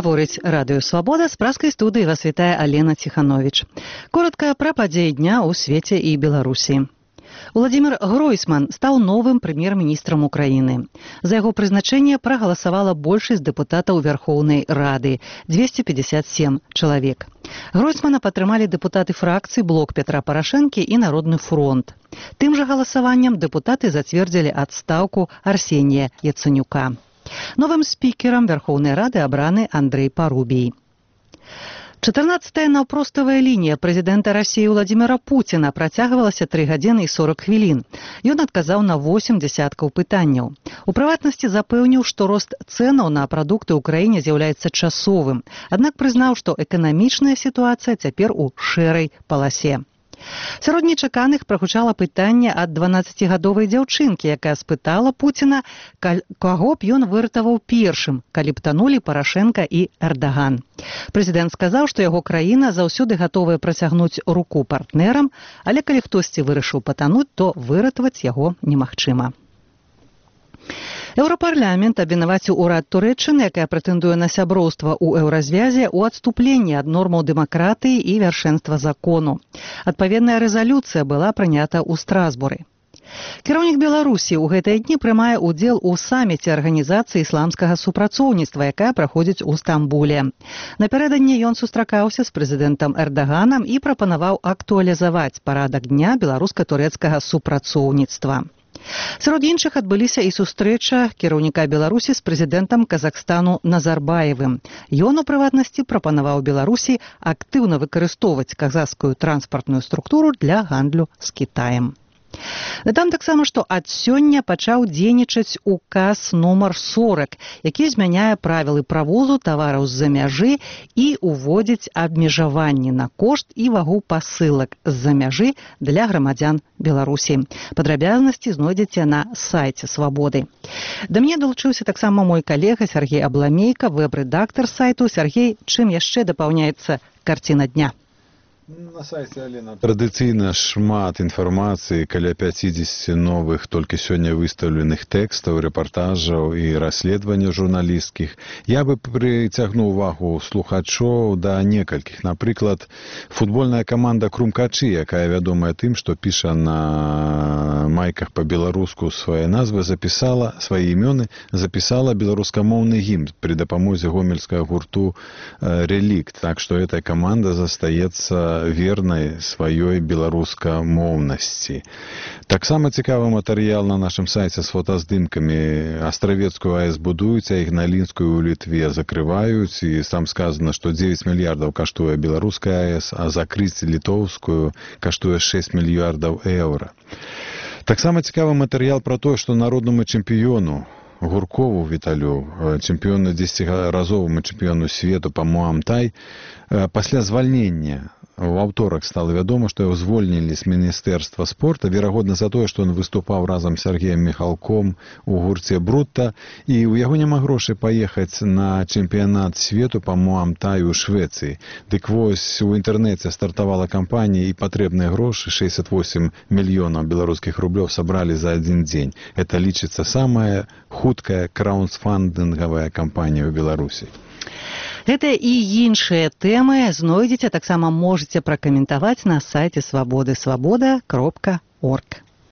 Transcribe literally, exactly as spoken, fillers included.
Гаворыць радыё «Свабода», з праскай студыі вас вітае Алена Ціхановіч. Коротка пра падзеі дня ў свеце і Беларусі. Владимир Гройсман стаў новым прэм'ер-міністрам Украіны. За яго прызначэнне прагаласавала большасць дэпутатаў Вярхоўнай Рады – двести пятьдесят семь чалавек. Гройсмана падтрымалі дэпутаты фракцый «Блок Петра Парашэнкі» і «Народны фронт». Тым жа галасаваннем дэпутаты зацвердзілі адстаўку Арсенія Яцэнюка. Новым спікерам Верховной Рады абраны Андрей Парубий. чатырнаццатая наўпроставая лінія прэзідэнта Расіі Владимира Путина працягвалася тры гадзіны і сорок хвілін. Ён адказаў на восем дзясяткаў пытанняў. У прыватнасці запэўніў, што рост цэнаў на прадукты ў краіне з'яўляецца часовым, аднак прызнаў, што эканамічная сітуацыя цяпер у шэрай паласе. Сярод нечаканых прагучала пытанне ад дванаццацігадовай дзяўчынкі, якая спытала Пуціна, каго б ён выратаваў першым, калі б танулі Парашэнка і Эрдаган. Прэзідэнт сказаў, што яго краіна заўсёды гатовая працягнуць руку партнерам, але калі хтосьці вырашыў патануць, то выратаваць яго немагчыма. Еўрапарламент абвінаваціў урад Турэччыны, якая прэтэндуе на сяброўства ў еўразвязе, у адступленні ад нормаў дэмакратыі і вяршэнства закону. Адпаведная рэзалюцыя была прынята ў Страсбуры. Кіраўнік Беларусі ў гэтыя дні прымае ўдзел у саміце арганізацыі ісламскага супрацоўніцтва, якая праходзіць у Стамбуле. Напярэдадні ён сустракаўся з прэзідэнтам Эрдаганам і прапанаваў актуалізаваць парадак дня беларуска-турэцкага супрацоўніцтва. Сярод іншых адбыліся і сустрэча кіраўніка Беларусі з прэзідэнтам Казахстану Назарбаевым. Ён, у прыватнасці, прапанаваў Беларусі актыўна выкарыстоўваць казахскую транспартную структуру для гандлю з Кітаем. Дадам таксама, што ад сёння пачаў дзейнічаць указ нумар сорок, які змяняе правілы правозу тавараў з-за мяжы і уводзіць абмежаванні на кошт і вагу пасылак з-за мяжы для грамадзян Беларусі. Падрабязнасці знойдзеце на сайце «Свабоды». Да мяне далучыўся таксама мой калега Сергей Абламейка, вэб-рэдактар сайту. Сергей, чым яшчэ дапаўняецца карціна дня? На сайце, Алена, традыцыйна шмат інфармацыі, каля пяцідзесяці новых толькі сёння выстаўленых тэкстаў, рэпартажаў і расследаванняў журналісцкіх. Я бы прыцягнуў увагу слухачоў да некалькіх. Напрыклад, футбольная каманда «Крумкачы», якая вядомая тым, што піша на майках па-беларуску свае назвы, запісала свае імёны, запісала беларускамоўны гімн пры дапамозе гомельскага гурту «Релікт». Так што эта каманда застаецца вернай сваёй беларускамоўнасці. Таксама цікавы матэрыял на нашым сайце з фотаздымкамі. Астравецкую АЭС будуюць, а ігналінскую ў Літве закрываюць, і там сказана, што дзевяць мільярдаў каштуе беларуская АЭС, а закрыць літоўскую каштуе шэсць мільярдаў еўра. Таксама цікавы матэрыял пра тое, што народнаму чэмпіёну Гуркову Віталю, чэмпіёну дзесяціразоваму чэмпіёну свету па муам-тай, пасля звальнення у аўторак стала вядома, што яго звольнілі з міністэрства спорта, верагодна за тое, што ён выступаў разам з Сергеем Міхалком у гурце «Брутта», і ў яго няма грошай паехаць на чэмпіянат свету па муам-таю ў Швецыі. Дык вось у інтэрнэце стартавала кампанія, і патрэбныя грошы шэсцьдзесят восем мільёнаў беларускіх рублёў сабралі за адзін дзень. Это лічыцца самая хуткая краўдфандынгавая кампанія ў Беларусі. Гэта і іншыя тэмы знойдзеце, таксама можаце пракаментаваць на сайце свабоды свабода кропка орг.